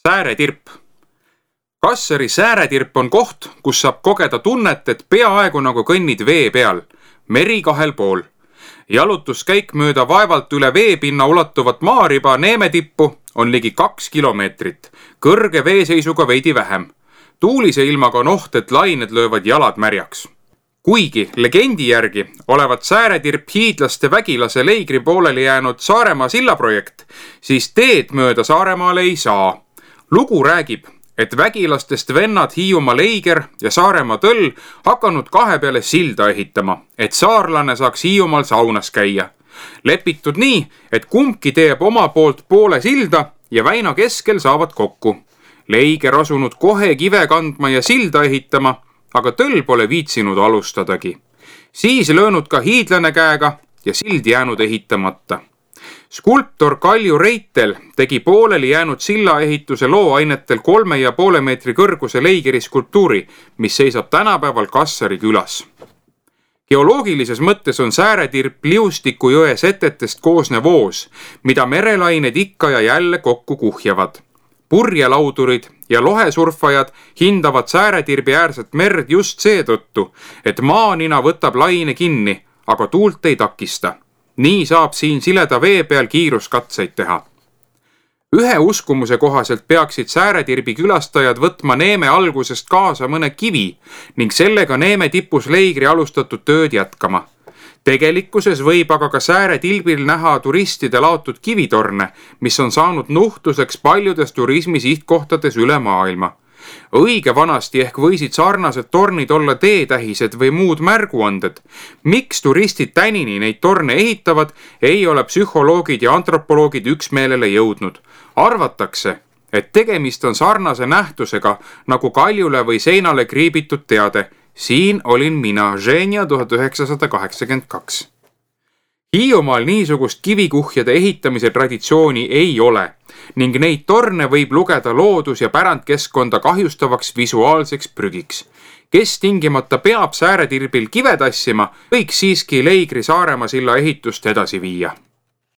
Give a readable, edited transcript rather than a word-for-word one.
Sääretirp. Kassari Sääretirp on koht, kus saab kogeda tunnet, et peaaegu nagu kõnnid vee peal, meri kahel pool. Jalutuskäik mööda vaevalt üle veepinna ulatuvat maariba Neemetippu on ligi 2 kilomeetrit, kõrge veeseisuga veidi vähem. Tuulise ilmaga on oht, et lained löövad jalad märjaks. Kuigi legendi järgi olevat Sääretirp hiidlaste vägilase Leigri pooleli jäänud Saaremaa sillaprojekt, siis teed mööda Saaremaale ei saa. Lugu räägib, et vägilastest vennad Hiiumaa Leiger ja Saaremaa Tõll hakanud kahe peale silda ehitama, et saarlane saaks Hiiumaal saunas käia. Lepitud nii, et kumbki teeb oma poolt poole silda ja väina keskel saavad kokku. Leiger asunud kohe kive kandma ja silda ehitama, aga Tõll pole viitsinud alustadagi. Siis löönud ka hiidlane käega ja sild jäänud ehitamata. Skulptor Kalju Reitel tegi pooleli jäänud sillaehituse looainetel 3,5 meetri kõrguse Leigeri skulptuuri, mis seisab tänapäeval Kassari külas. Geoloogilises mõttes on Sääretirp Liustiku jõe setetest koosnev voos, mida merelained ikka ja jälle kokku kuhjavad. Purjelaudurid ja lohesurfajad hindavad Sääretirbi äärset merd just seetõttu, et maanina võtab laine kinni, aga tuult ei takista. Nii saab siin sileda vee peal kiiruskatseid teha. Ühe uskumuse kohaselt peaksid Sääretirbi külastajad võtma Neeme algusest kaasa mõne kivi ning sellega Neeme tipus Leigri alustatud tööd jätkama. Tegelikkuses võib aga ka Sääretilbil näha turistide laotud kivitorne, mis on saanud nuhtluseks paljudes turismi sihtkohtades üle maailma. Õige vanasti ehk võisid sarnased tornid olla teetähised või muud märguanded. Miks turistid tänini neid torne ehitavad, ei ole psühholoogid ja antropoloogid üksmeelele jõudnud. Arvatakse, et tegemist on sarnase nähtusega nagu kaljule või seinale kriibitud teade. Siin olin mina, Ženja 1982. Hiiumaal niisugust kivikuhjade ehitamise traditsiooni ei ole ning neid torne võib lugeda loodus- ja pärandkeskkonda kahjustavaks visuaalseks prügiks. Kes tingimata peab Sääretirbil kive tassima, võiks siiski Leigri Saaremaa silla ehitust edasi viia.